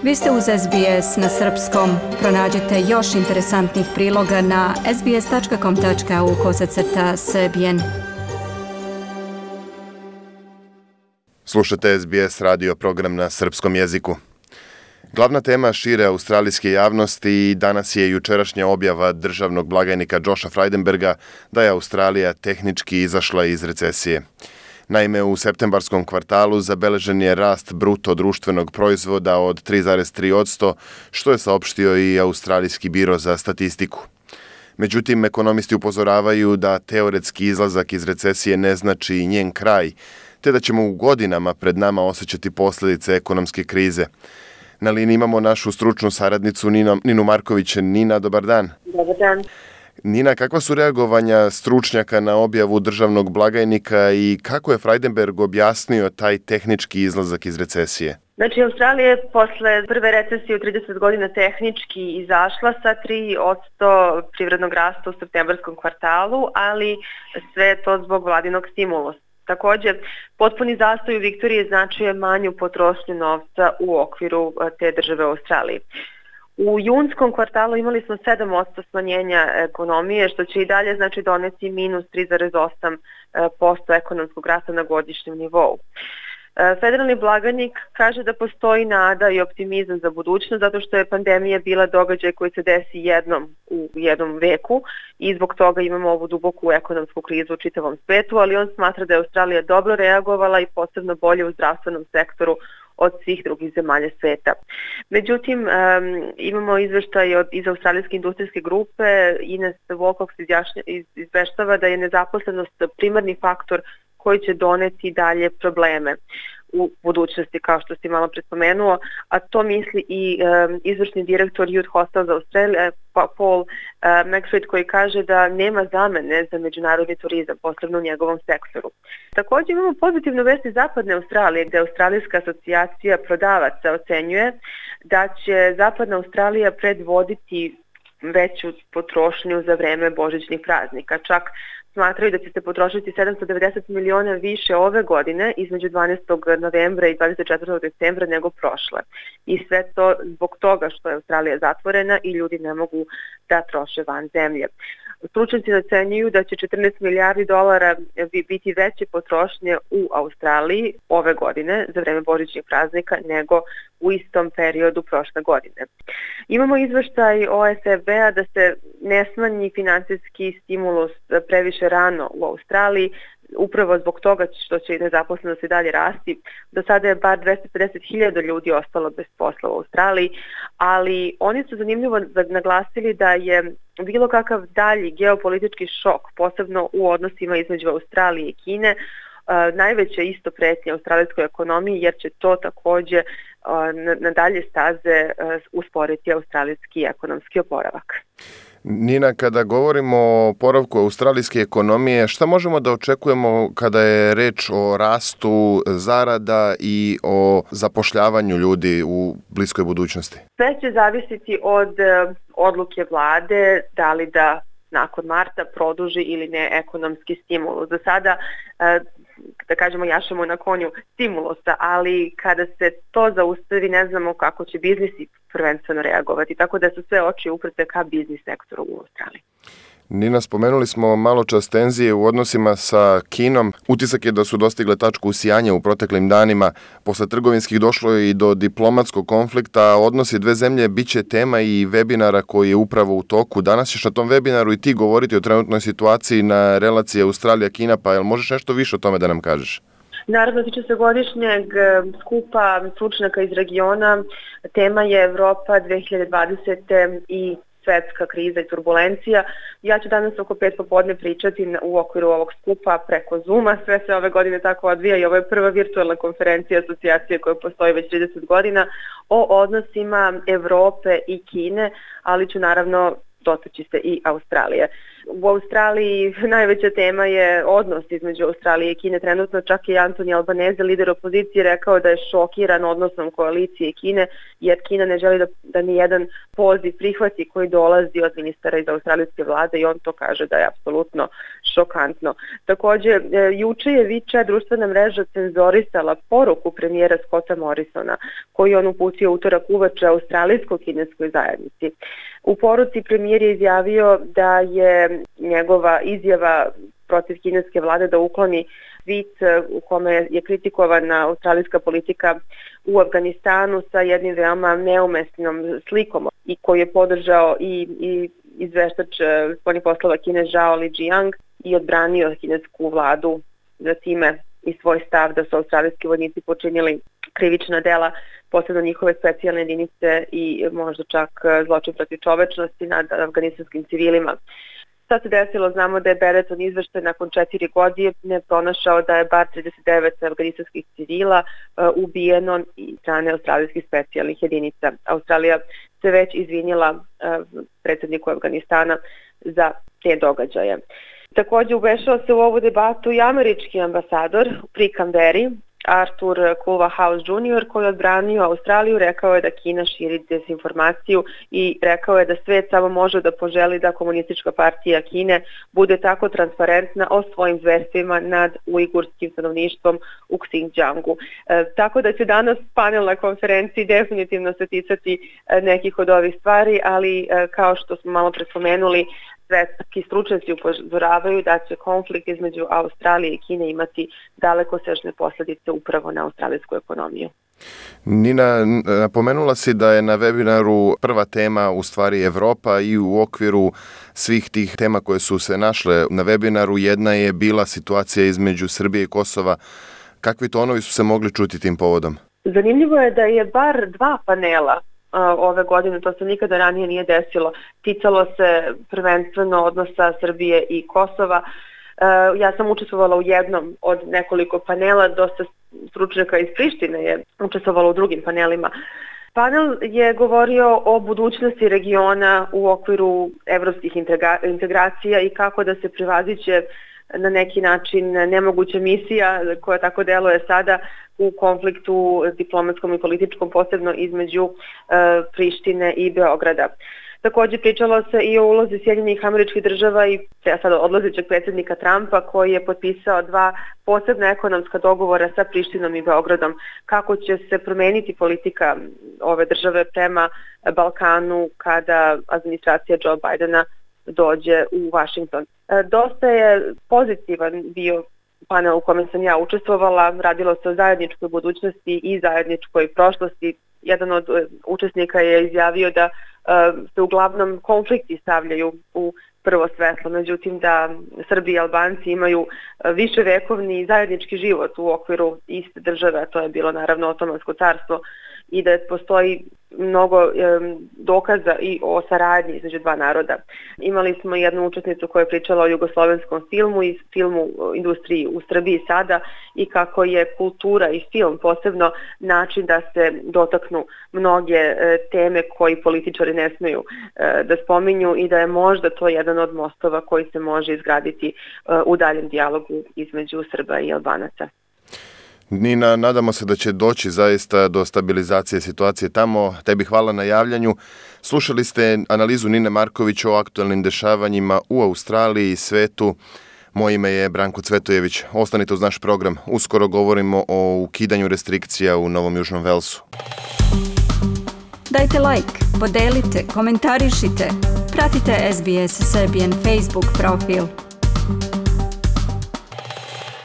Vi ste uz SBS na srpskom. Pronađite još interesantnih priloga na sbs.com.au/srbijen. Slušate SBS radio program na srpskom jeziku. Glavna tema šire australijske javnosti danas je jučerašnja objava državnog blagajnika Josha Frydenberga da je Australija tehnički izašla iz recesije. Naime, u septembarskom kvartalu zabeležen je rast bruto društvenog proizvoda od 3,3%, što je saopštio i Australijski biro za statistiku. Međutim, ekonomisti upozoravaju da teoretski izlazak iz recesije ne znači njen kraj, te da ćemo u godinama pred nama osjećati posljedice ekonomske krize. Na liniji imamo našu stručnu saradnicu Ninu Marković. Nina, dobar dan. Dobar dan. Nina, kakva su reagovanja stručnjaka na objavu državnog blagajnika i kako je Frydenberg objasnio taj tehnički izlazak iz recesije? Znači, Australija je posle prve recesije u 30 godina tehnički izašla sa 3% privrednog rasta u septembarskom kvartalu, ali sve to zbog vladinog stimulusa. Također, potpuni zastoj u Viktoriji značio manju potrošnju novca u okviru te države u Australiji. U junskom kvartalu imali smo 7% smanjenja ekonomije, što će i dalje znači doneti minus 3,8% ekonomskog rasta na godišnjem nivou. Federalni blagajnik kaže da postoji nada i optimizam za budućnost zato što je pandemija bila događaj koji se desi jednom u jednom veku i zbog toga imamo ovu duboku ekonomsku krizu u čitavom svetu, ali on smatra da je Australija dobro reagovala i posebno bolje u zdravstvenom sektoru od svih drugih zemalja sveta. Međutim, imamo izveštaj iz Australijske industrijske grupe. Ines Walcox izveštava da je nezaposlenost primarni faktor koji će doneti dalje probleme u budućnosti, kao što si malo prespomenuo, a to misli i izvršni direktor Youth Hostels Australia, Paul McFred, koji kaže da nema zamene za međunarodni turizam, posebno u njegovom sektoru. Također imamo pozitivnu vest iz Zapadne Australije, gde Australijska asocijacija prodavaca ocenjuje da će Zapadna Australija predvoditi veću potrošnju za vreme božićnih praznika. Čak smatraju da će se potrošiti 790 miliona više ove godine između 12. novembra i 24. decembra nego prošle. I sve to zbog toga što je Australija zatvorena i ljudi ne mogu da troše van zemlje. Stručnjaci ocenjuju da će 14 milijardi dolara biti veće potrošnje u Australiji ove godine za vreme božićnih praznika nego u istom periodu prošle godine. Imamo izveštaj OSFB-a da se ne smanji finansijski stimulus previše rano u Australiji, upravo zbog toga što će i nezaposlenost i dalje rasti. Do sada je bar 250.000 ljudi ostalo bez posla u Australiji, ali oni su zanimljivo naglasili da je bilo kakav dalji geopolitički šok, posebno u odnosima između Australije i Kine, najveća isto pretnja australijskoj ekonomiji, jer će to također na dalje staze usporiti australijski ekonomski oporavak. Nina, kada govorimo o oporavku australijske ekonomije, šta možemo da očekujemo kada je reč o rastu zarada i o zapošljavanju ljudi u bliskoj budućnosti? Sve će zavisiti od odluke vlade, da li da nakon marta produži ili ne ekonomski stimulus. Za sada, da kažemo, jašemo na konju stimulusa, ali kada se to zaustavi, ne znamo kako će biznisi prvenstveno reagovati, tako da su sve oči uprte ka biznis sektoru u Australiji. Nina, spomenuli smo malo čas tenzije u odnosima sa Kinom. Utisak je da su dostigle tačku usijanja u proteklim danima. Posle trgovinskih došlo je i do diplomatskog konflikta. Odnosi dve zemlje biće tema i webinara koji je upravo u toku. Danas ćeš na tom webinaru i ti govoriti o trenutnoj situaciji na relaciji Australija-Kina, pa jel možeš nešto više o tome da nam kažeš? Naravno, tiče se godišnjeg skupa stručnjaka iz regiona. Tema je Evropa 2020. i svetska kriza i turbulencija. Ja ću danas oko 5 popodne pričati u okviru ovog skupa preko Zooma. Sve se ove godine tako odvija i ovo je prva virtualna konferencija asocijacije koja postoji već 30 godina o odnosima Evrope i Kine, ali ću naravno dotaći se i Australije. U Australiji najveća tema je odnos između Australije i Kine. Trenutno čak i Anthony Albanese, lider opozicije, rekao da je šokiran odnosom koalicije i Kine, jer Kina ne želi da ni jedan poziv prihvati koji dolazi od ministara iz australijske vlade i on to kaže da je apsolutno šokantno. Takođe, juče je WeChat društvena mreža cenzorisala poruku premijera Scotta Morrisona, koju on uputio utorak uveče australijsko-kineskoj zajednici. U poruci premijer je izjavio da je njegova izjava protiv kineske vlade da ukloni tweet u kome je kritikovana australijska politika u Afganistanu sa jednim veoma neumesnom slikom i koju je podržao i izveštač spoljnih poslova Kine Zhao Lijiang i odbranio kinesku vladu za time i svoj stav da su australijski vojnici počinili krivična dela, posebno njihove specijalne jedinice i možda čak zločin protiv čovečnosti nad afganistanskim civilima. Šta se desilo? Znamo da je Benetton izveštaj nakon 4 godine pronašao da je bar 39 afganistanskih civila ubijeno i strane australijskih specijalnih jedinica. Australija se već izvinila predsjedniku Afganistana za te događaje. Takođe umešao se u ovu debatu i američki ambasador pri Kamberi, Arthur Culverhouse Jr. koji je odbranio Australiju, rekao je da Kina širi dezinformaciju i rekao je da svet samo može da poželi da Komunistička partija Kine bude tako transparentna o svojim zverstvima nad ujgurskim stanovništvom u Xinjiangu. Tako da će danas panel na konferenciji definitivno se ticati nekih od ovih stvari, ali kao što smo malo pre spomenuli, svetski stručnjaci upozoravaju da će konflikt između Australije i Kine imati dalekosežne posljedice upravo na australijsku ekonomiju. Nina, napomenula si da je na webinaru prva tema u stvari Evropa i u okviru svih tih tema koje su se našle na webinaru jedna je bila situacija između Srbije i Kosova. Kakvi tonovi su se mogli čuti tim povodom? Zanimljivo je da je bar 2 panela ove godine, to se nikada ranije nije desilo. Ticalo se prvenstveno odnosa Srbije i Kosova. Ja sam učestvovala u jednom od nekoliko panela, dosta stručnjaka iz Prištine je učestvovalo u drugim panelima. Panel je govorio o budućnosti regiona u okviru evropskih integracija i kako da se prevaziće na neki način nemoguća misija koja tako deluje sada u konfliktu diplomatskom i političkom, posebno između Prištine i Beograda. Takođe pričalo se i o ulozi Sjedinjenih Američkih Država i sada odlazećeg predsjednika Trumpa koji je potpisao 2 posebna ekonomska dogovora sa Prištinom i Beogradom. Kako će se promeniti politika ove države prema Balkanu kada administracija Joe Bidena dođe u Washington. Dosta je pozitivan bio panel u kome sam ja učestvovala, radilo se o zajedničkoj budućnosti i zajedničkoj prošlosti. Jedan od učesnika je izjavio da se uglavnom konflikti stavljaju u prvo svetlo, međutim da Srbi i Albanci imaju viševekovni zajednički život u okviru iste države, a to je bilo naravno Otomansko carstvo, i da postoji mnogo dokaza i o saradnji između 2 naroda. Imali smo jednu učesnicu koja je pričala o jugoslovenskom filmu i filmu industriji u Srbiji sada i kako je kultura i film posebno način da se dotaknu mnoge teme koji političari ne smeju da spominju i da je možda to jedan od mostova koji se može izgraditi u daljem dijalogu između Srba i Albanaca. Nina, nadamo se da će doći zaista do stabilizacije situacije tamo. Tebi hvala na javljanju. Slušali ste analizu Nine Marković o aktualnim dešavanjima u Australiji i svetu. Moje ime je Branko Cvetojević. Ostanite uz naš program. Uskoro govorimo o ukidanju restrikcija u Novom Južnom Velsu. Dajte like, podelite, komentarišite. Pratite SBS Serbian Facebook profil.